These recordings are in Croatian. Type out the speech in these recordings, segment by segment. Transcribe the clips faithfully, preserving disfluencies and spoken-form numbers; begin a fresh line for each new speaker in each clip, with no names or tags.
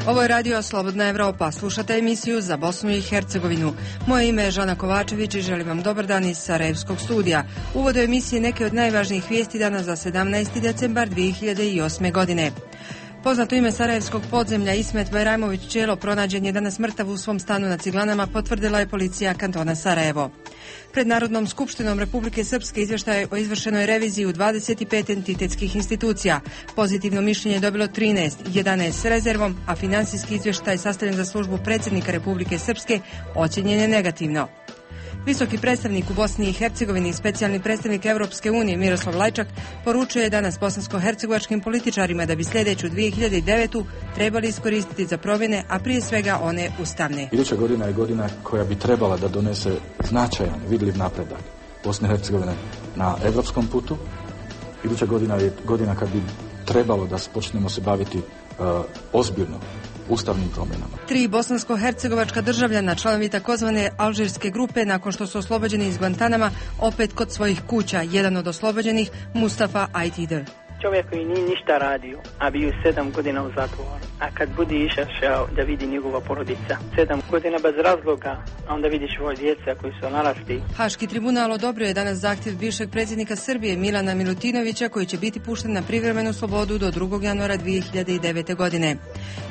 Ovo je radio Slobodna Evropa. Slušate emisiju za Bosnu i Hercegovinu. Moje ime je Žana Kovačević i želim vam dobar dan iz Sarajevskog studija. Uvod u emisiji neke od najvažnijih vijesti dana za sedamnaesti decembar dvije hiljade osme. godine. Poznato ime sarajevskog podzemlja Ismet Bajramović Čelo pronađen je danas mrtav u svom stanu na Ciglanama, potvrdila je policija kantona Sarajevo. Pred Narodnom skupštinom Republike Srpske izvještaj o izvršenoj reviziji u dvadeset pet entitetskih institucija. Pozitivno mišljenje je dobilo trinaest, jedanaest s rezervom, a financijski izvještaj sastavljen za službu predsjednika Republike Srpske ocjenjen je negativno. Visoki predstavnik u Bosni i Hercegovini i specijalni predstavnik Europske unije Miroslav Lajčak poručuje danas bosansko-hercegovačkim političarima da bi sljedeću dvije hiljade devetu trebali iskoristiti za promjene, a prije svega one ustavne.
Iduća godina je godina koja bi trebala da donese značajan, vidljiv napredak Bosne i Hercegovine na europskom putu. Iduća godina je godina kad bi trebalo da počnemo se baviti uh, ozbiljno ustavnim promjenama.
Tri bosansko-hercegovačka državljana, članovi takozvane alžirske grupe, nakon što su oslobođeni iz Guantanama, opet kod svojih kuća. Jedan od oslobođenih, Mustafa Ajtider.
Čovjek koji nije ništa radio, a bio sedam godina u zatvoru. A kad bude išao da vidi njegova porodica, sedam godina bez razloga, a onda vidiš svoje djeca koji su narasli.
Haški tribunal odobrio je danas zahtjev bivšeg predsjednika Srbije Milana Milutinovića, koji će biti pušten na privremenu slobodu do drugog januara dvije hiljade devete. godine.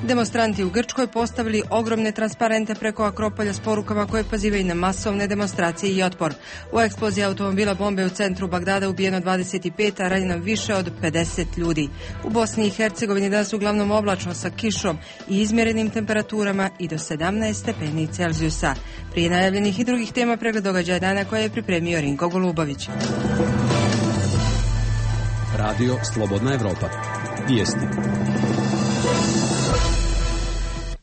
Demonstranti u Grčkoj postavili ogromne transparente preko Akropolja s porukama koje pozivaju na masovne demonstracije i otpor. U eksploziji automobila bombe u centru Bagdada ubijeno dvadeset pet, a ranjeno više od pedeset ljudi. U Bosni i Hercegovini danas uglavnom oblačno sa kišom i izmjerenim temperaturama i do sedamnaest stepeni Celzijusa. Prije najavljenih i drugih tema pregled događaja dana koje je pripremio Rinko Golubović.
Radio Slobodna Evropa. Vijesti.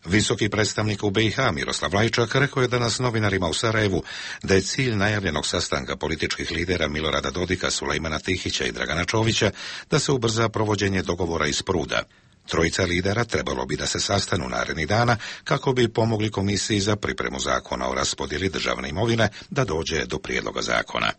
Visoki predstavnik u B i H Miroslav Lajčak rekao je danas novinarima u Sarajevu da je cilj najavljenog sastanka političkih lidera Milorada Dodika, Sulejmana Tihića i Dragana Čovića da se ubrza provođenje dogovora iz Pruda. Trojica lidera trebalo bi da se sastanu narednih dana kako bi pomogli komisiji za pripremu zakona o raspodjeli državne imovine da dođe do prijedloga zakona.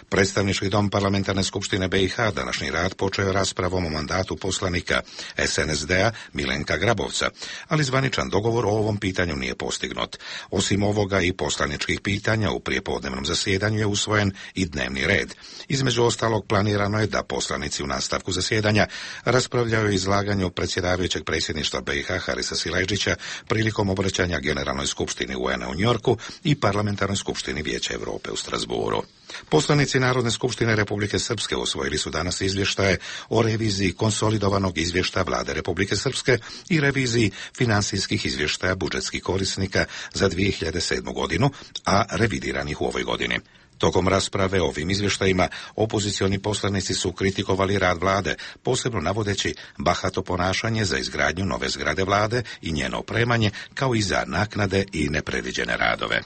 Predstavnički dom Parlamentarne skupštine B i H današnji rad počeo je raspravom o mandatu poslanika S N S D-a Milenka Grabovca, ali zvaničan dogovor o ovom pitanju nije postignut. Osim ovoga i poslaničkih pitanja u prijepodnevnom zasjedanju je usvojen i dnevni red. Između ostalog planirano je da poslanici u nastavku zasjedanja raspravljaju o izlaganju predsjedavajućeg predsjedništva B i H Harisa Silajdžića prilikom obraćanja Generalnoj skupštini U N-a u Njorku i Parlamentarnoj skupštini Vijeća Europe u Strasburu. Poslanici Narodne skupštine Republike Srpske usvojili su danas izvještaje o reviziji konsolidovanog izvještaja Vlade Republike Srpske i reviziji financijskih izvještaja budžetskih korisnika za dvije hiljade sedmu. godinu, a revidiranih u ovoj godini. Tokom rasprave o ovim izvještajima opozicioni poslanici su kritikovali rad vlade, posebno navodeći bahato ponašanje za izgradnju nove zgrade vlade i njeno opremanje, kao i za naknade i nepredviđene radove.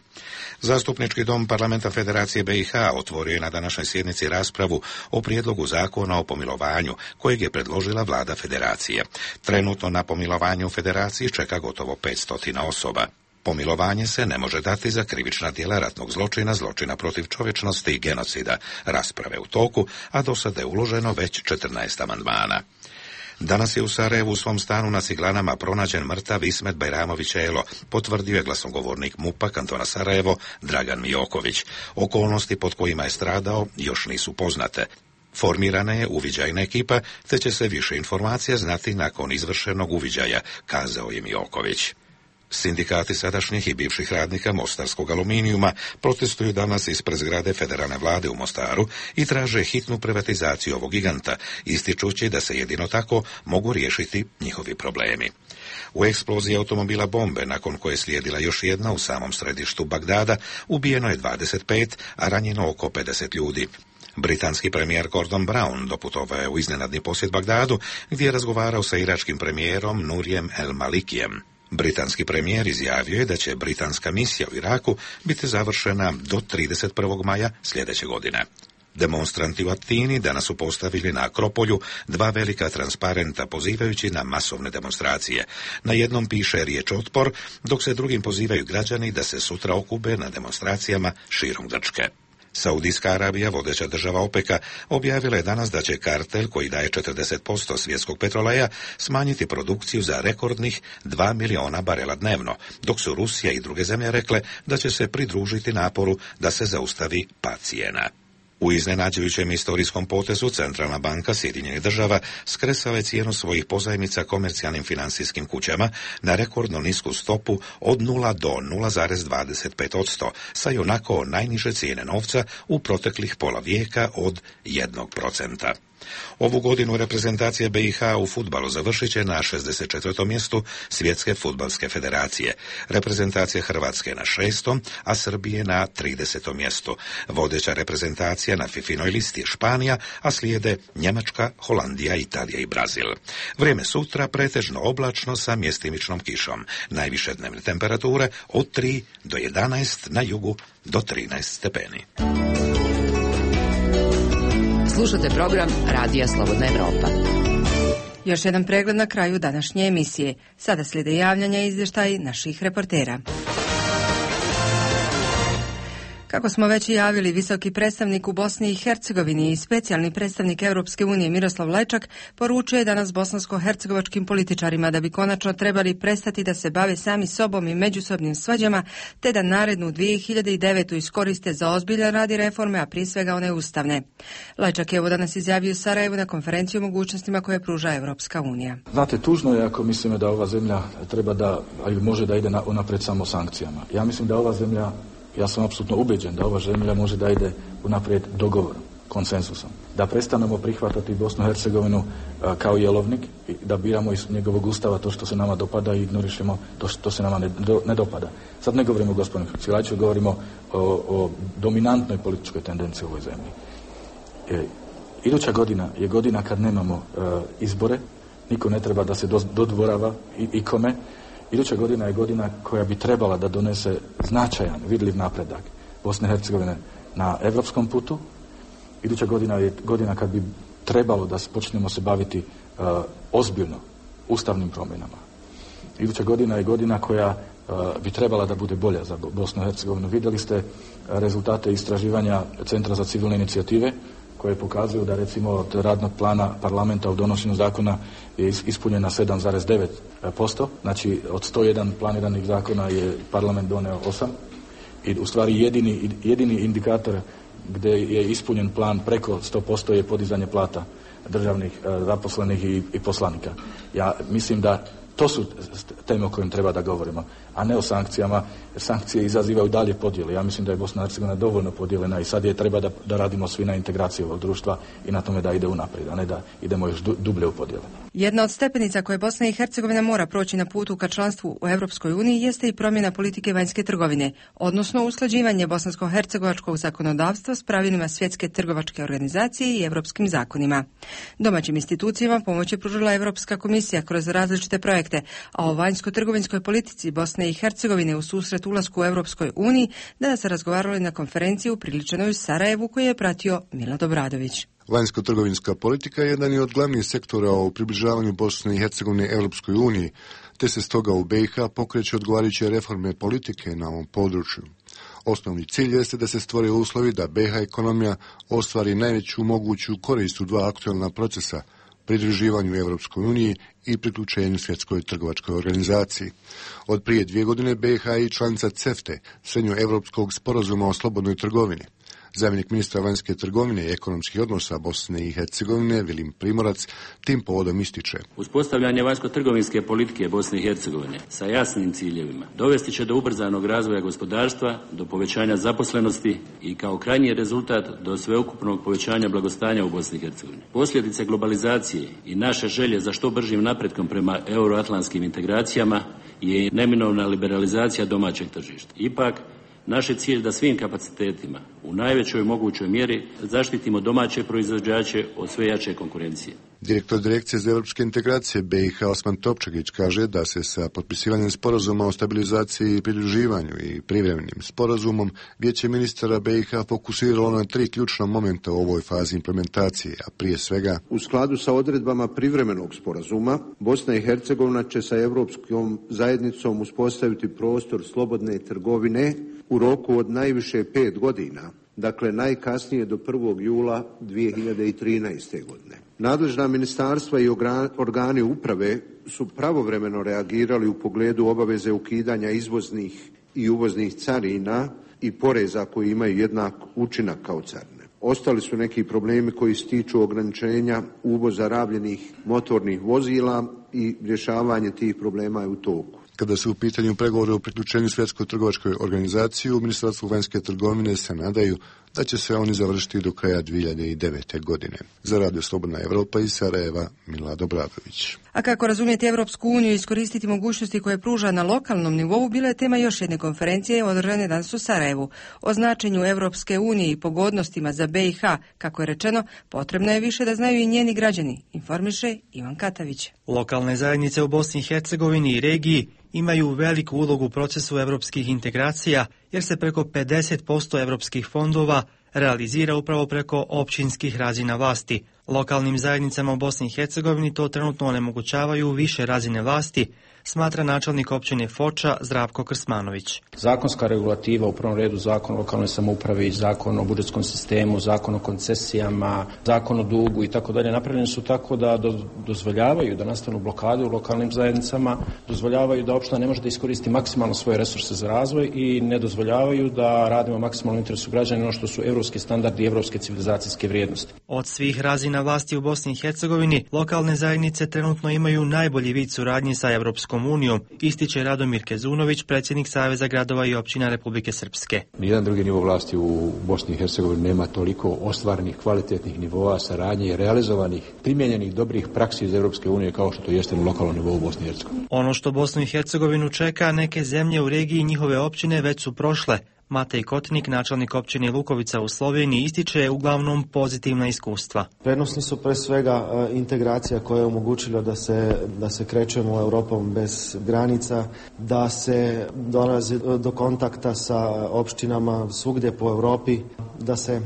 Zastupnički dom Parlamenta Federacije B i H otvorio je na današnjoj sjednici raspravu o prijedlogu zakona o pomilovanju kojeg je predložila vlada Federacije. Trenutno na pomilovanju u Federaciji čeka gotovo petsto osoba. Pomilovanje se ne može dati za krivična djela ratnog zločina, zločina protiv čovječnosti i genocida. Rasprave u toku, a do sada je uloženo već četrnaest amandmana. Danas je u Sarajevu u svom stanu na Ciglanama pronađen mrtav Ismet Bajramović Čelo, potvrdio je glasnogovornik MUP-a kantona Sarajevo Dragan Mijoković. Okolnosti pod kojima je stradao još nisu poznate. Formirana je uviđajna ekipa, te će se više informacija znati nakon izvršenog uviđaja, kazao je Mijoković. Sindikati sadašnjih i bivših radnika mostarskog aluminijuma protestuju danas ispred zgrade federalne vlade u Mostaru i traže hitnu privatizaciju ovog giganta, ističući da se jedino tako mogu riješiti njihovi problemi. U eksploziji automobila bombe, nakon koje je slijedila još jedna u samom središtu Bagdada, ubijeno je dvadeset pet, a ranjeno oko pedeset ljudi. Britanski premijer Gordon Brown doputovao je u iznenadni posjet Bagdadu, gdje je razgovarao sa iračkim premijerom Nurijem El Malikijem. Britanski premijer izjavio je da će britanska misija u Iraku biti završena do trideset prvog maja sljedeće godine. Demonstranti u Atini danas su postavili na Akropolju dva velika transparenta pozivajući na masovne demonstracije. Na jednom piše riječ otpor, dok se drugim pozivaju građani da se sutra okupe na demonstracijama širom Grčke. Saudijska Arabija, vodeća država OPEC-a, objavila je danas da će kartel koji daje četrdeset posto svjetskog petroleja smanjiti produkciju za rekordnih dva miliona barela dnevno, dok su Rusija i druge zemlje rekle da će se pridružiti naporu da se zaustavi pad cijena. U iznenađujućem istorijskom potezu Centralna banka Sjedinjenih država skresala je cijenu svojih pozajmica komercijalnim financijskim kućama na rekordno nisku stopu od nula do nula zarez dvadeset pet posto, sa i onako najniže cijene novca u proteklih pola vijeka od jednog procenta. Ovu godinu reprezentacija B i H u fudbalu završit će na šezdeset četvrtom mjestu Svjetske fudbalske federacije. Reprezentacija Hrvatske na šestom, a Srbije na tridesetom mjestu. Vodeća reprezentacija na fifinoj listi je Španija, a slijede Njemačka, Holandija, Italija i Brazil. Vrijeme sutra pretežno oblačno sa mjestimičnom kišom. Najviše dnevne temperature od tri do jedanaest, na jugu do trinaest stepeni.
Slušate program Radija Slobodna Evropa.
Još jedan pregled na kraju današnje emisije. Sada slijede javljanja i izvještaji naših reportera. Kako smo već i javili, visoki predstavnik u Bosni i Hercegovini i specijalni predstavnik Europske unije Miroslav Lajčak poručuje danas bosansko-hercegovačkim političarima da bi konačno trebali prestati da se bave sami sobom i međusobnim svađama, te da narednu dvije hiljade devetu iskoriste za ozbiljan rad i reforme, a prije svega one ustavne. Lajčak je ovo danas izjavio u Sarajevu na konferenciji o mogućnostima koje pruža Europska unija.
Znate, tužno je ako mislimo da ova zemlja treba da, ali može da ide na, unapred samo sankcijama. Ja mislim da ova zemlja Ja sam apsolutno ubeđen da ova zemlja može da ide unaprijed dogovorom, konsenzusom. Da prestanemo prihvatati Bosnu i Hercegovinu a, kao jelovnik i da biramo iz njegovog ustava to što se nama dopada i ignorišemo to što se nama ne, do, ne dopada. Sad ne govorimo o gospodinu Hrcilaču, govorimo o, o dominantnoj političkoj tendenciji u ovoj zemlji. E, iduća godina je godina kad nemamo a, izbore, niko ne treba da se do, dodvorava i, ikome. Iduća godina je godina koja bi trebala da donese značajan, vidljiv napredak Bosne i Hercegovine na evropskom putu. Iduća godina je godina kad bi trebalo da počnemo se baviti uh, ozbiljno ustavnim promjenama. Iduća godina je godina koja uh, bi trebala da bude bolja za Bosnu i Hercegovinu. Vidjeli ste rezultate istraživanja Centra za civilne inicijative koje pokazuju da recimo od radnog plana parlamenta u donošenju zakona je ispunjena sedam zarez devet posto, znači od sto jedan planiranih zakona je parlament doneo osam i u stvari jedini, jedini indikator gdje je ispunjen plan preko sto posto je podizanje plata državnih zaposlenih i, i poslanika. Ja mislim da to su teme o kojim treba da govorimo, a ne o sankcijama, jer sankcije izazivaju dalje podjele. Ja mislim da je Bosna i Hercegovina dovoljno podijeljena i sad je treba da, da radimo svi na integraciji ovog društva i na tome da ide unaprijed, a ne da idemo još du, dublje u podjele.
Jedna od stepenica koje Bosna i Hercegovina mora proći na putu ka članstvu u Europskoj uniji jeste i promjena politike vanjske trgovine, odnosno usklađivanje bosansko-hercegovačkog zakonodavstva s pravilima Svjetske trgovačke organizacije i europskim zakonima. Domaćim institucijama pomoć je pružila Europska komisija kroz različite projekte, a o vanjsko-trgovinskoj politici Bosne i Hercegovine u susret ulasku u Europskoj uniji danas se razgovarali na konferenciji upriličenoj u Sarajevu koju je pratio Milad Obradović.
Vanjsko-trgovinska politika je jedan od glavnih sektora u približavanju Bosne i Hercegovine Europskoj uniji, te se stoga u B i H pokreće odgovarajuće reforme politike na ovom području. Osnovni cilj jeste da se stvore uslovi da B i H ekonomija ostvari najveću moguću korist u dva aktualna procesa, pridruživanju Europskoj uniji i priključenju Svjetskoj trgovačkoj organizaciji. Od prije dvije godine B i H je članica CEFTA, Srednjoevropskog sporazuma o slobodnoj trgovini. Zamjenik ministra vanjske trgovine i ekonomskih odnosa Bosne i Hercegovine, Vilim Primorac, tim povodom ističe.
Uspostavljanje vanjsko-trgovinske politike Bosne i Hercegovine sa jasnim ciljevima dovesti će do ubrzanog razvoja gospodarstva, do povećanja zaposlenosti i kao krajnji rezultat do sveukupnog povećanja blagostanja u Bosni i Hercegovini. Posljedice globalizacije i naše želje za što bržim napretkom prema euroatlantskim integracijama je neminovna liberalizacija domaćeg tržišta. Ipak, naš je cilj da svim kapacitetima u najvećoj mogućoj mjeri zaštitimo domaće proizvođače od sve jače konkurencije.
Direktor Direkcije za europske integracije B i H Osman Topčagić kaže da se sa potpisivanjem sporazuma o stabilizaciji i pridruživanju i privremenim sporazumom Vijeće ministara B i H fokusiralo na tri ključna momenta u ovoj fazi implementacije, a prije svega
u skladu sa odredbama privremenog sporazuma Bosna i Hercegovina će sa Europskom zajednicom uspostaviti prostor slobodne trgovine u roku od najviše pet godina dakle najkasnije do prvog jula dvije hiljade trinaeste. godine. Nadležna ministarstva i organi uprave su pravovremeno reagirali u pogledu obaveze ukidanja izvoznih i uvoznih carina i poreza koji imaju jednak učinak kao carine. Ostali su neki problemi koji se tiču ograničenja uvoza rabljenih motornih vozila i rješavanje tih problema je u toku.
Kada su u pitanju pregovore o priključenju Svjetskoj trgovačkoj organizaciji, u Ministarstvu vanjske trgovine se nadaju da će se oni završiti do kraja dvije hiljade devete. godine. Za Radio Slobodna Evropa iz Sarajeva, Milad Obradović.
A kako razumjeti Evropsku uniju i iskoristiti mogućnosti koje pruža na lokalnom nivou, bila je tema još jedne konferencije održane danas u Sarajevu. O značenju Evropske unije i pogodnostima za B i H, kako je rečeno, potrebno je više da znaju i njeni građani, informiše Ivan Katavić.
Lokalne zajednice u Bosni i Hercegovini i regiji imaju veliku ulogu u procesu evropskih integracija, jer se preko pedeset posto evropskih fondova realizira upravo preko općinskih razina vlasti. Lokalnim zajednicama u Bosni i Hercegovini to trenutno onemogućavaju više razine vlasti, smatra načelnik općine Foča Zdravko Krsmanović.
Zakonska regulativa, u prvom redu zakon o lokalnoj samoupravi, zakon o budžetskom sistemu, zakon o koncesijama, zakon o dugu i tako dalje, napravljeni su tako da do, dozvoljavaju da nastanu blokade u lokalnim zajednicama, dozvoljavaju da opština ne može da iskoristi maksimalno svoje resurse za razvoj i ne dozvoljavaju da radimo maksimalno interesu građana, ono što su evropski standardi i evropske civilizacijske vrijednosti.
Od svih razina vlasti u Bosni i Hercegovini, lokalne zajednice trenutno imaju najbolji vid suradnje sa Evropskom unijom, ističe Radomir Kezunović, predsjednik Saveza gradova i općina Republike Srpske.
Nijedan drugi nivo vlasti u Bosni i Hercegovini nema toliko ostvarenih kvalitetnih nivoa saradnje i realizovanih, primijenjenih dobrih praksi iz Evropske unije kao što to jeste na lokalnom nivou u Bosni i Hercegovini.
Ono što Bosnu i Hercegovinu čeka, neke zemlje u regiji i njihove općine već su prošle. Matej Kotnik, načelnik općine Lukovica u Sloveniji, ističe uglavnom pozitivna iskustva.
Prednosti su pre svega integracija koja je omogućila da se, da se krećemo Europom bez granica, da se dolazi do kontakta sa opštinama svugdje po Europi, da se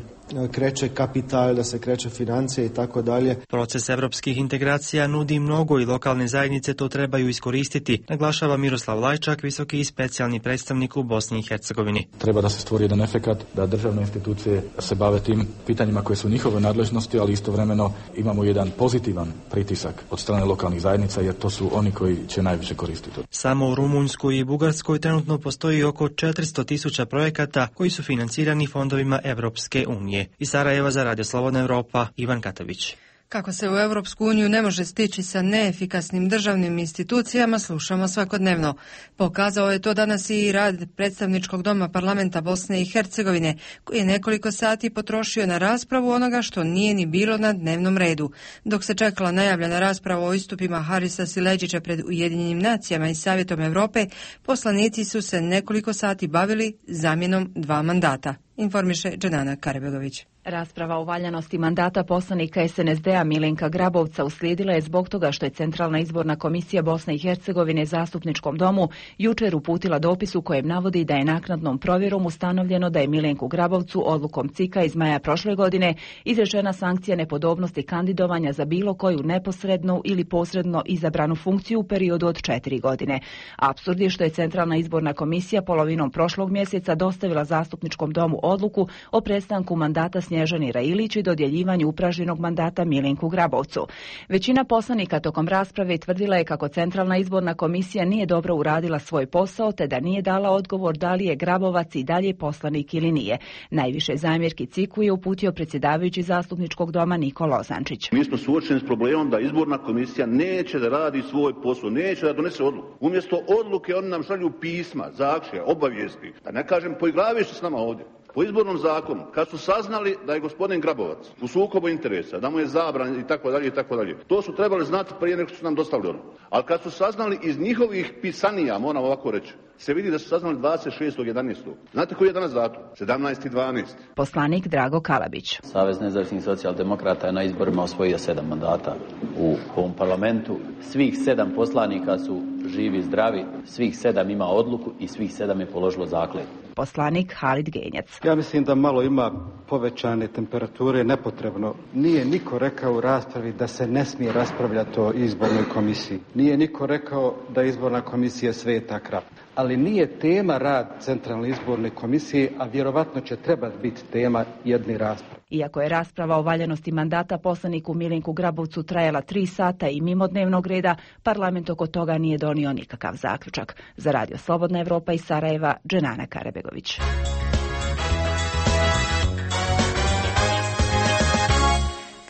kreće kapital, da se kreće financije i tako dalje.
Proces evropskih integracija nudi mnogo i lokalne zajednice to trebaju iskoristiti, naglašava Miroslav Lajčak, visoki i specijalni predstavnik u Bosni i Hercegovini.
Treba da se stvori jedan efekat da državne institucije se bave tim pitanjima koje su njihove nadležnosti, ali istovremeno imamo jedan pozitivan pritisak od strane lokalnih zajednica, jer to su oni koji će najviše koristiti.
Samo u Rumunjskoj i Bugarskoj trenutno postoji oko četiristo tisuća projekata koji su financirani fondovima Evropske unije. Iz Sarajeva za Radio Slobodna Evropa, Ivan Katavić.
Kako se u Europsku uniju ne može stići sa neefikasnim državnim institucijama, slušamo svakodnevno. Pokazao je to danas i rad predstavničkog doma parlamenta Bosne i Hercegovine, koji je nekoliko sati potrošio na raspravu onoga što nije ni bilo na dnevnom redu. Dok se čekala najavljena rasprava o istupima Harisa Sileđića pred Ujedinjenim nacijama i Savjetom Europe, poslanici su se nekoliko sati bavili zamjenom dva mandata, informiše Dženana Karebegović.
Rasprava o valjanosti mandata poslanika es en es de a Milenka Grabovca uslijedila je zbog toga što je Centralna izborna komisija Bosne i Hercegovine Zastupničkom domu jučer uputila dopis u kojem navodi da je naknadnom provjerom ustanovljeno da je Milenku Grabovcu odlukom C I K-a iz maja prošle godine izrečena sankcija nepodobnosti kandidovanja za bilo koju neposrednu ili posredno izabranu funkciju u periodu od četiri godine. Apsurd je što je Centralna izborna komisija polovinom prošlog mjeseca dostavila Zastupničkom domu odluku o prestanku mandata Snježani Railić i dodjeljivanju upražnjenog mandata Milenku Grabovcu. Većina poslanika tokom rasprave tvrdila je kako Centralna izborna komisija nije dobro uradila svoj posao, te da nije dala odgovor da li je Grabovac i dalje poslanik ili nije. Najviše zamjerki C I K-u je uputio predsjedavajući Zastupničkog doma Niko Lozančić.
Mi smo suočeni s problemom da izborna komisija neće da radi svoj posao, neće da donese odluku. Umjesto odluke oni nam šalju pisma, zahtjeve, obavijesti. Da ne kažem, poigravaju se s nama ovdje. Po izbornom zakonu, kad su saznali da je gospodin Grabovac u sukobu interesa, da mu je zabran i tako dalje i tako dalje, to su trebali znati prije nego što su nam dostavili ono. Ali kad su saznali iz njihovih pisanija, moram ovako reći, se vidi da su saznali dvadeset šestog jedanaestog Znate koji je danas datum? sedamnaesti dvanaesti
Poslanik Drago Kalabić.
Savez nezavisnih socijaldemokrata je na izborima osvojio sedam mandata u ovom parlamentu. Svih sedam poslanika su živi, zdravi, svih sedam ima odluku i svih sedam je položilo zakletvu.
Poslanik Halid Genjac.
Ja mislim da malo ima povećane temperature nepotrebno. Nije niko rekao u raspravi da se ne smije raspravljati o izbornoj komisiji. Nije niko rekao da izborna komisija sveta krava. Ali nije tema rad Centralne izborne komisije, a vjerovatno će trebati biti tema jedne rasprave.
Iako je rasprava o valjanosti mandata poslaniku Milinku Grabovcu trajala tri sata i mimo dnevnog reda, parlament oko toga nije donio nikakav zaključak. Za Radio Slobodna Evropa iz Sarajeva, Dženana Karebegović.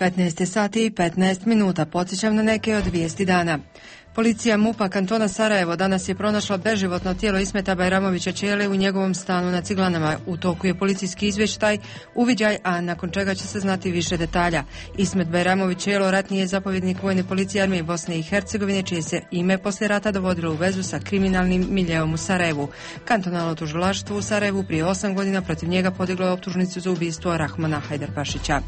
petnaest sati i petnaest minuta. Podsjećam na neke od vijesti dana. Policija MUP-a kantona Sarajevo danas je pronašla beživotno tijelo Ismeta Bajramovića Čele u njegovom stanu na Ciglanama. U toku je policijski izvještaj, uviđaj, a nakon čega će se znati više detalja. Ismet Bajramović Čelo ratni je zapovjednik vojne policije armije Bosne i Hercegovine, čije se ime poslije rata dovodilo u vezu sa kriminalnim miljeom u Sarajevu. Kantonalno tužilaštvo u Sarajevu prije osam godina protiv njega podiglo je optužnicu za ubistvo Rahmana Hajdarpašića.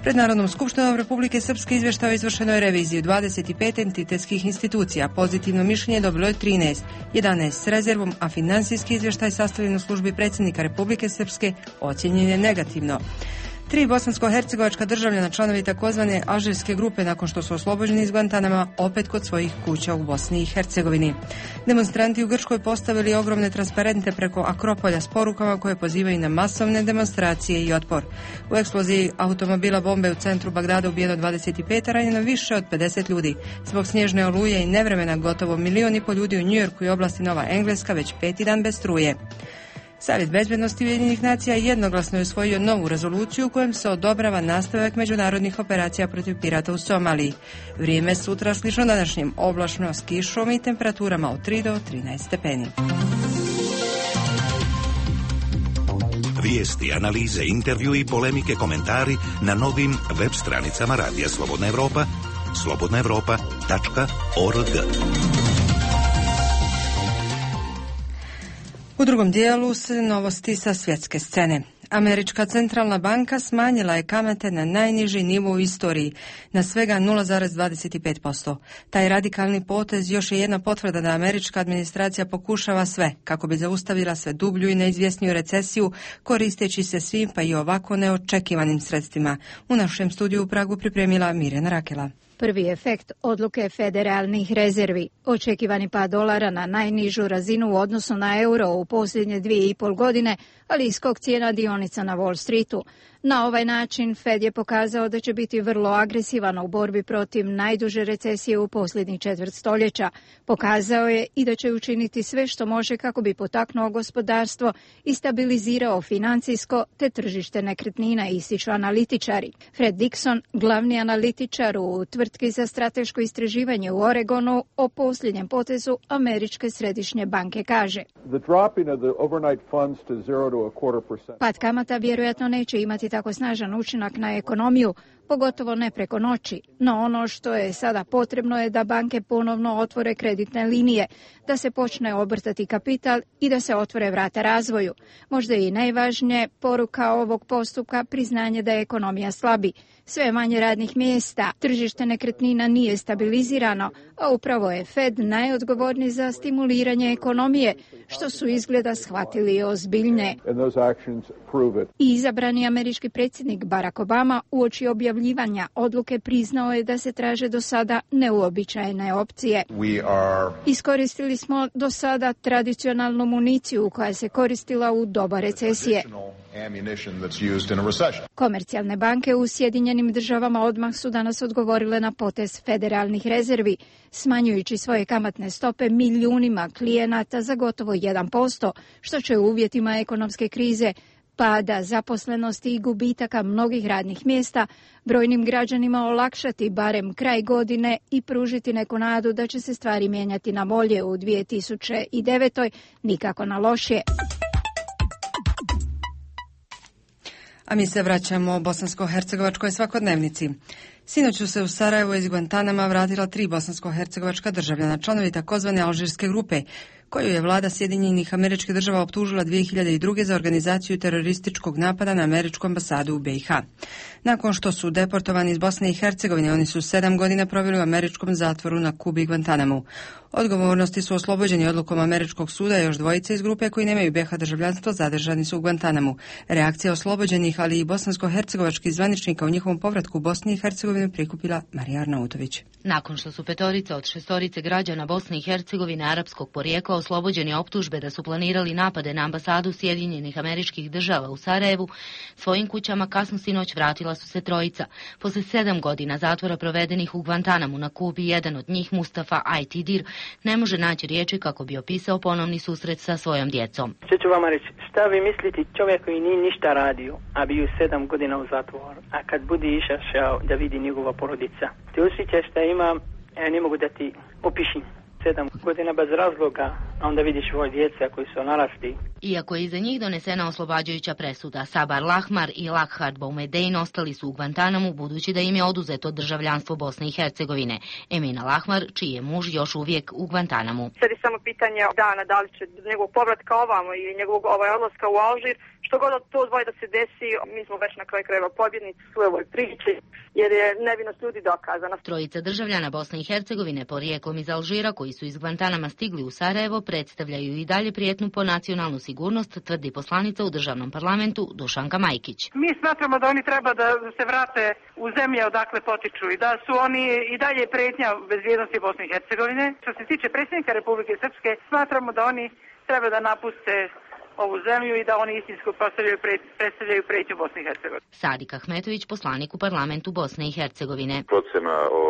Pred Narodnom skupštinom Republike Srpske izvještaj o izvršenoj reviziji dvadeset pet entitetskih institucija. Pozitivno mišljenje dobilo je trinaest, jedanaest s rezervom, a financijski izvještaj sastavljen u službi predsjednika Republike Srpske ocjenjen je negativno. Tri bosansko-hercegovačka državljana, članovi takozvane alžirske grupe, nakon što su oslobođeni iz Guantanama, opet kod svojih kuća u Bosni i Hercegovini. Demonstranti u Grčkoj postavili ogromne transparente preko Akropolja s porukama koje pozivaju na masovne demonstracije i otpor. U eksploziji automobila bombe u centru Bagdada ubijeno dvadeset pet, a ranjeno više od pedeset ljudi. Zbog snježne oluje i nevremena gotovo milion i pol ljudi u Njujorku i oblasti Nova Engleska već peti dan bez struje. Savjet bezbednosti Ujedinjenih nacija jednoglasno je usvojio novu rezoluciju u kojem se odobrava nastavak međunarodnih operacija protiv pirata u Somaliji. Vrijeme sutra slično današnjem, oblačno s kišom i temperaturama od tri do trinaest stepeni.
Vijesti, analize, intervju i polemike, komentari na novim web stranicama Radija Slobodna Evropa, slobodna evropa tačka org.
U drugom dijelu se novosti sa svjetske scene. Američka centralna banka smanjila je kamate na najniži nivo u istoriji, na svega nula zarez dvadeset pet posto. Taj radikalni potez još je jedna potvrda da američka administracija pokušava sve kako bi zaustavila sve dublju i neizvjesniju recesiju, koristeći se svim pa i ovako neočekivanim sredstvima. U našem studiju u Pragu pripremila Mirjana Rakela.
Prvi efekt odluke federalnih rezervi. Očekivani pad dolara na najnižu razinu u odnosu na euro u posljednje dvije i pol godine, ali i skok cijena dionica na Wall Streetu. Na ovaj način Fed je pokazao da će biti vrlo agresivan u borbi protiv najduže recesije u posljednjih četvrt stoljeća. Pokazao je i da će učiniti sve što može kako bi potaknuo gospodarstvo i stabilizirao financijsko te tržište nekretnina, ističu analitičari. Fred Dixon, glavni analitičar u tvrtki za strateško istraživanje u Oregonu, o posljednjem potezu Američke središnje banke kaže: pad kamata vjerojatno neće imati tako snažan učinak na ekonomiju, pogotovo ne preko noći. No ono što je sada potrebno je da banke ponovno otvore kreditne linije, da se počne obrtati kapital i da se otvore vrata razvoju. Možda i najvažnije poruka ovog postupka priznanje da je ekonomija slabi. Sve manje radnih mjesta, tržište nekretnina nije stabilizirano, a upravo je Fed najodgovorniji za stimuliranje ekonomije, što su izgleda shvatili ozbiljne. I izabrani američki predsjednik Barack Obama uoči objavljivanja odluke priznao je da se traže do sada neuobičajene opcije. Iskoristili smo do sada tradicionalnu municiju koja se koristila u doba recesije. Komercijalne banke u Sjedinjenim državama odmah su danas odgovorile na potez federalnih rezervi, smanjujući svoje kamatne stope milijunima klijenata za gotovo jedan posto, što će u uvjetima ekonomske krize, pada zaposlenosti i gubitaka mnogih radnih mjesta brojnim građanima olakšati barem kraj godine i pružiti neku nadu da će se stvari mijenjati na bolje u dvije tisuće devetoj, nikako na lošije.
A mi se vraćamo bosansko-hercegovačkoj svakodnevnici. Sinoć su se u Sarajevo iz Guantanama vratila tri bosansko-hercegovačka državljana, članovi takozvane alžirske grupe, koju je vlada Sjedinjenih Američkih Država optužila dvije hiljade druge za organizaciju terorističkog napada na američku ambasadu u B i H. Nakon što su deportovani iz Bosne i Hercegovine, oni su sedam godina proveli u američkom zatvoru na Kubi i Guantanamu. Odgovornosti su oslobođeni odlukom američkog suda, još dvojice iz grupe koji nemaju B i H državljanstvo zadržani su u Guantanamu. Reakcija oslobođenih, ali i bosansko-hercegovačkih zvaničnika u njihovom povratku u Bosni i Hercegovinu prikupila Marija Arnautović.
Nakon što su petorica od šestorice građana Bosne i Hercegovine arapskog porijekla oslobođeni optužbe da su planirali napade na ambasadu Sjedinjenih Američkih Država u Sarajevu, svojim kućama kasno sinoć vratila su se trojica. Posle sedam godina zatvora provedenih u Guantanamu na Kubi, jedan od njih, Mustafa Ajtidir, ne može naći riječi kako bi opisao ponovni susret sa svojom djecom.
Što ću vama reći, šta vi mislite čovjek koji nije ništa radio, a bio sedam godina u zatvoru, a kad bude išao da vidi njegova porodica, te osjećaš šta ima, ja ne mogu da ti opišim. Sedam godina bez razloga, a onda vidiš svoje djece koji su narasli.
Iako je iza njih donesena oslobađajuća presuda, Sabar Lahmar i Lakhard Boumedein ostali su u Guantanamu budući da im je oduzeto državljanstvo Bosne i Hercegovine. Emina Lahmar, čiji je muž još uvijek u Guantanamu.
Sad je samo pitanje dana da li će njegovog povratka ovamo ili njegovog ovaj odlaska u Alžir. Što god od to dvoje da se desi, mi smo već na kraju krajeva pobjednici u ovoj priči, jer je nevinost ljudi dokazana.
Trojica državljana Bosne i Hercegovine porijeklom iz Alžira koji su iz Guantanama stigli u Sarajevo predstavljaju i dalje prijetnju po nacionalnu sigurnost, tvrdi poslanica u državnom parlamentu Dušanka Majkić.
Mi smatramo da oni treba da se vrate u zemlje odakle potiču i da su oni i dalje prijetnja bezbjednosti Bosne i Hercegovine. Što se tiče predsjednika Republike Srpske, smatramo da oni treba da napuste ovu zemlju i da oni istinsko predstavljaju, predstavljaju prijetnju Bosne i Hercegovine.
Sadik Ahmetović, poslanik u parlamentu Bosne i Hercegovine.
Procjena o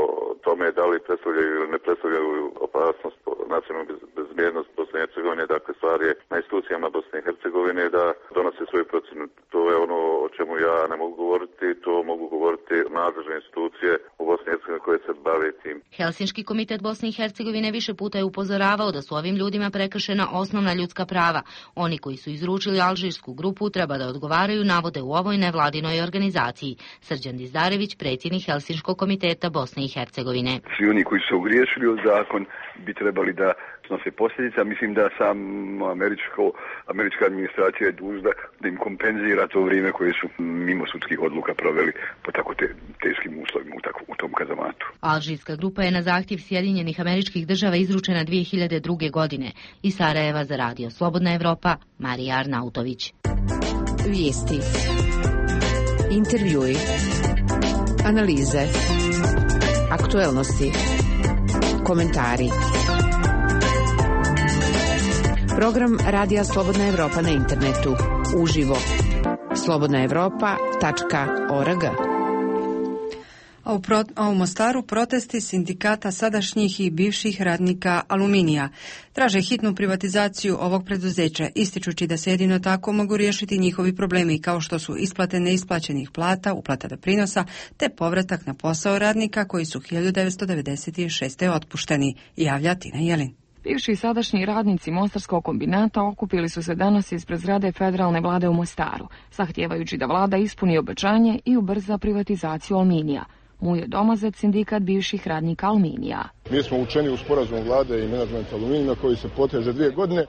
tome da li predstavljaju ili ne predstavljaju opasnost po nacionalnu bezbjednost Bosne i Hercegovine, dakle stvar je na institucijama Bosne i Hercegovine da donose svoju procjenu. To je ono o čemu ja ne mogu govoriti, to mogu govoriti nadležne institucije u Bosni i Hercegovini koje se bave tim.
Helsinški komitet Bosne i Hercegovine više puta je upozoravao da su ovim ljudima prekršena osnovna ljudska prava. Oni koji su izručili alžirsku grupu treba da odgovaraju, navode u ovoj nevladinoj organizaciji. Srđan Dizdarević, predsjednik Helsinškog komiteta Bosne i Hercegovine.
Svi oni koji su ogriješili o zakon bi trebali da snose posljedica. Mislim da sam američko, američka administracija je dužna da im kompenzira to vrijeme koje su mimo sudskih odluka proveli po tako te, teškim uslovima u, tako, u tom kazamatu.
Alžirska grupa je na zahtjev Sjedinjenih Američkih Država izručena dvije hiljade druge. godine. Iz Sarajeva za Radio Slobodna Evropa, Marija Arnautović.
Vijesti, intervjui, analize, aktuelnosti, komentari. Program Radija Slobodna Evropa na internetu. Uživo. slobodna evropa tačka org.
A u, pro, a u Mostaru protesti sindikata sadašnjih i bivših radnika Aluminija. Traže hitnu privatizaciju ovog preduzeća, ističući da se jedino tako mogu riješiti njihovi problemi kao što su isplate neisplaćenih plata, uplata doprinosa, te povratak na posao radnika koji su hiljadu devetsto devedeset šeste. otpušteni, javlja Tina Jelin.
Bivši i sadašnji radnici Mostarskog kombinata okupili su se danas ispred zgrade federalne vlade u Mostaru, zahtijevajući da vlada ispuni obećanje i ubrza privatizaciju Aluminija. Mujo Domazet, sindikat bivših radnika Aluminija.
Mi smo učeni u sporazumu vlade i menadžmenta Aluminija koji se poteže dvije godine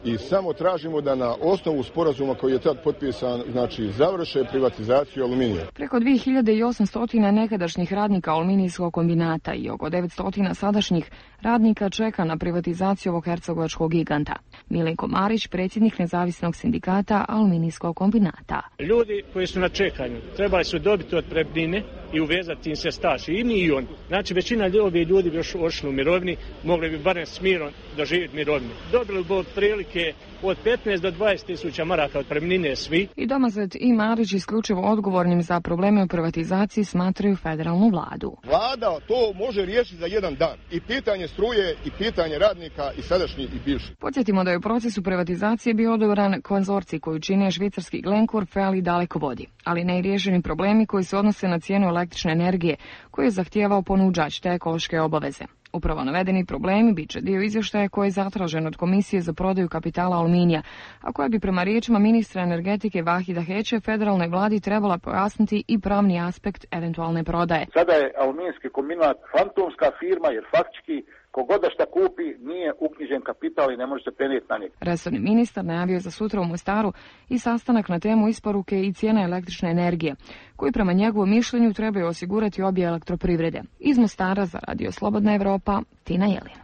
i samo tražimo da na osnovu sporazuma koji je tad potpisan, znači, završe privatizaciju Aluminija.
Preko dvije hiljade osamsto nekadašnjih radnika Aluminijskog kombinata i oko devetsto sadašnjih radnika čeka na privatizaciju ovog hercegovačkog giganta. Milenko Marić, predsjednik nezavisnog sindikata Aluminijskog kombinata.
Ljudi koji su na čekanju trebali su dobiti otpremnine i uvezati im se staž, i mi i on. Znači, većina ljudi, ljudi bi još ošli u mirovini, mogli bi barem s mirom doživjeti mirovinu. Dobili bi otprilike od petnaest do dvadeset tisuća maraka otpremnine svi.
I Domazet i Marić isključivo odgovornim za probleme u privatizaciji smatraju federalnu vladu.
Vlada to može riješiti za jedan dan. I pitanje struje, i pitanje radnika, i sadašnji, i bivši.
Podsjetimo da je u procesu privatizacije bio odobran konzorcij koji čine švicarski Glencore, Fel i Dalekovodi, ali ne i riješeni problemi koji se odnose na cijenu električne energije, koju je zahtijevao ponuđač te ekološke obaveze. Upravo navedeni problemi bit će dio izvještaja koji je zatražen od Komisije za prodaju kapitala Aluminija, a koja bi prema riječima ministra energetike Vahida Heće federalnoj vladi trebala pojasniti i pravni aspekt eventualne prodaje.
Sada je Aluminijski kombinat fantomska firma jer faktički
Kogod da šta kupi nije uknjižen kapital i ne može se prenijeti na njega.
Resorni ministar najavio za sutra u Mostaru i sastanak na temu isporuke i cijena električne energije, koji prema njegovom mišljenju trebaju osigurati obje elektroprivrede. Iz Mostara za Radio Slobodna Evropa, Tina Jelina.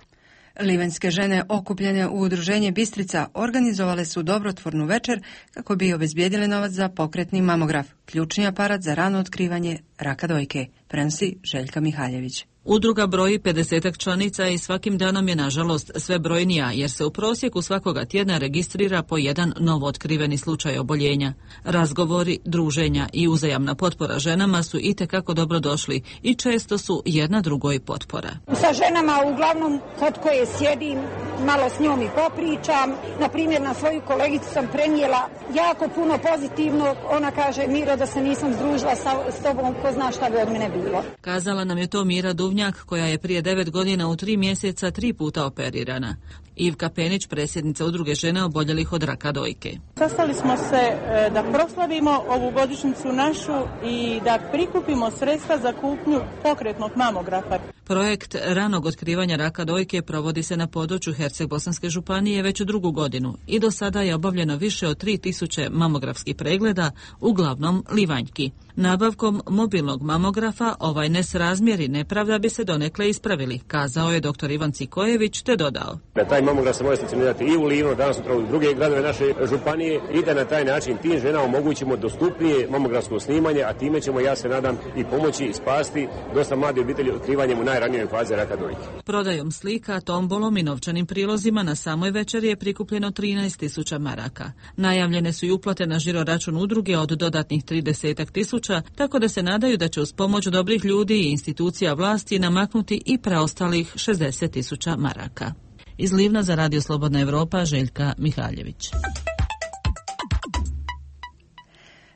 Livanjske žene okupljene u udruženje Bistrica organizovale su dobrotvornu večer kako bi obezbijedile novac za pokretni mamograf, ključni aparat za rano otkrivanje raka dojke, prenosi Željka Mihaljević.
Udruga broji pedesetak članica i svakim danom je nažalost sve brojnija, jer se u prosjeku svakoga tjedna registrira po jedan novo otkriveni slučaj oboljenja. Razgovori, druženja i uzajamna potpora ženama su itekako dobro došli i često su jedna drugoj potpora.
Sa ženama uglavnom kod koje sjedim, malo s njom i popričam. Na primjer, na svoju kolegicu sam prenijela jako puno pozitivno. Ona kaže: Miro, da se nisam združila sa, s tobom, ko zna šta bi od mene bilo.
Kazala nam je to Mira Duvnjak, koja je prije devet godina u tri mjeseca tri puta operirana. Ivka Penić, predsjednica udruge žene oboljelih od raka dojke.
Sastali smo se e, da proslavimo ovu godišnjicu našu i da prikupimo sredstva za kupnju pokretnog mamografa.
Projekt ranog otkrivanja raka dojke provodi se na području Herceg-Bosanske županije već drugu godinu i do sada je obavljeno više od tri tisuće mamografskih pregleda, uglavnom livanjki. Nabavkom mobilnog mamografa ovaj nesrazmjer i nepravda bi se donekle ispravili, kazao je doktor Ivan Cikojević, te dodao.
Da taj mamograf se može stacionirati i u Livno, danas sutra u druge gradove naše županije i da na taj način tim ženama omogućimo dostupnije mamografsko snimanje, a time ćemo, ja se nadam, i pomoći i spasti dosta mlade obitelji otkrivanjem u najranijoj fazi raka dojke.
Prodajom slika, tombolom i novčanim prilozima na samoj večeri je prikupljeno trinaest tisuća maraka. Najavljene su i uplate na žiro račun udruge od dodatnih trideset tisuća, tako da se nadaju da će uz pomoć dobrih ljudi i institucija vlasti namaknuti i preostalih šezdeset tisuća maraka. Iz Livna za Radio Slobodna Evropa, Željka Mihaljević.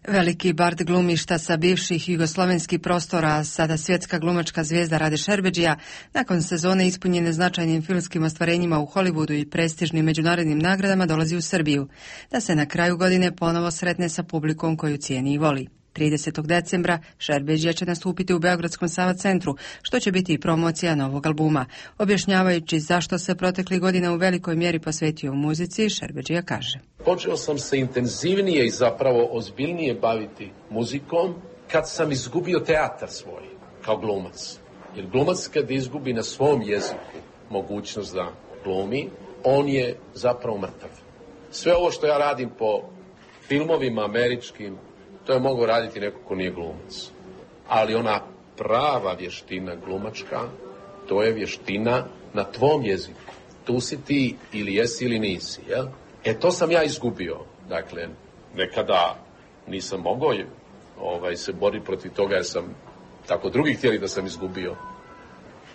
Veliki bard glumišta sa bivših jugoslovenskih prostora, sada svjetska glumačka zvijezda Rade Šerbedžija, nakon sezone ispunjene značajnim filmskim ostvarenjima u Hollywoodu i prestižnim međunarodnim nagradama, dolazi u Srbiju, da se na kraju godine ponovo sretne sa publikom koju cijeni i voli. tridesetog decembra Šerbedžija će nastupiti u Beogradskom Sava centru, što će biti i promocija novog albuma. Objašnjavajući zašto se protekli godina u velikoj mjeri posvetio muzici, Šerbedžija kaže:
Počeo sam se intenzivnije i zapravo ozbiljnije baviti muzikom kad sam izgubio teatar svoj kao glumac. Jer glumac kad izgubi na svom jeziku mogućnost da glumi, on je zapravo mrtav. Sve ovo što ja radim po filmovima američkim, to je mogao raditi neko ko nije glumac. Ali ona prava vještina glumačka, to je vještina na tvom jeziku. Tu si ti ili jesi ili nisi, jel? E to sam ja izgubio. Dakle, nekada nisam mogao ovaj, se boriti protiv toga jer sam tako drugi htjeli da sam izgubio.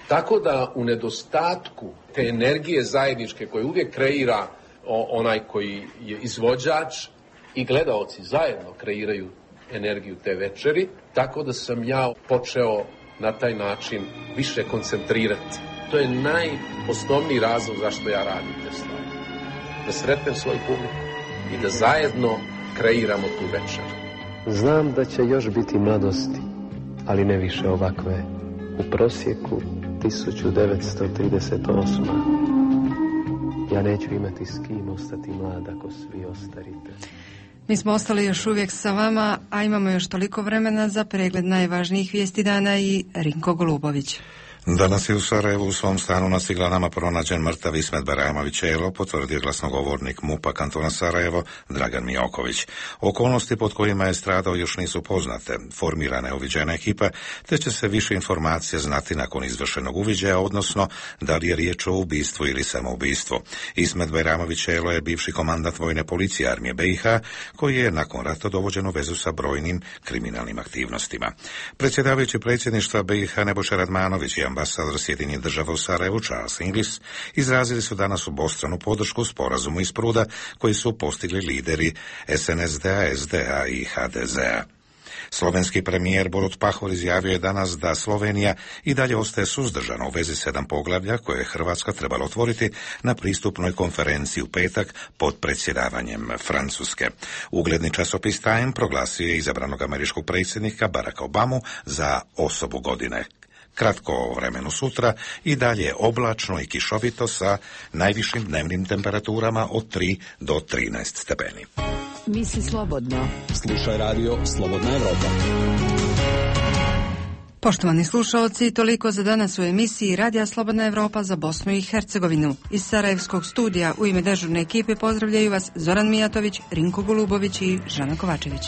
Tako da u nedostatku te energije zajedničke koje uvijek kreira onaj koji je izvođač i gledaoci zajedno kreiraju energiju te večeri, tako da sam ja počeo na taj način više koncentrirati. To je najosnovniji razlog zašto ja radim te stvari. Da sretnem svoju publiku i da zajedno kreiramo tu večer.
Znam da će još biti mladosti, ali ne više ovakve. U prosjeku tisuću devetsto trideset osma. Ja neću imati s kim ostati mlad ako svi ostarite.
Mi smo ostali još uvijek sa vama, a imamo još toliko vremena za pregled najvažnijih vijesti dana i Rinko Golubović.
Danas je u Sarajevu u svom stanu na Ciglanama pronađen mrtav Ismet Barajamović Elo, potvrdio glasnogovornik MUP-a kantona Sarajevo Dragan Mijoković. Okolnosti pod kojima je stradao još nisu poznate. Formirana je uviđajna ekipa, te će se više informacija znati nakon izvršenog uviđaja, odnosno da li je riječ o ubistvu ili samoubistvu. Ismet Barajamović Elo je bivši komandant vojne policije armije B i H, koji je nakon rata dovođen u vezu sa brojnim kriminalnim aktivnostima. Predsjedavajući predsjedništva B i H Nebojša Radmanović i ambasador Sjedinjenih država u Sarajevu Charles Inglis izrazili su danas obostranu podršku sporazumu iz Pruda koji su postigli lideri S N S D-a, S D A i H D Z-a. Slovenski premijer Borut Pahor izjavio je danas da Slovenija i dalje ostaje suzdržana u vezi sedam poglavlja koje je Hrvatska trebala otvoriti na pristupnoj konferenciji u petak pod predsjedavanjem Francuske. Ugledni časopis Time proglasio je izabranog američkog predsjednika Baracka Obamu za osobu godine. Kratko o vremenu sutra i dalje oblačno i kišovito sa najvišim dnevnim temperaturama od tri do trinaest stepeni.
Misli slobodno.
Slušaj radio Slobodna Evropa.
Poštovani slušaoci, toliko za danas u emisiji Radija Slobodna Evropa za Bosnu i Hercegovinu. Iz Sarajevskog studija u ime dežurne ekipe pozdravljaju vas Zoran Mijatović, Rinko Golubović i Žana Kovačević.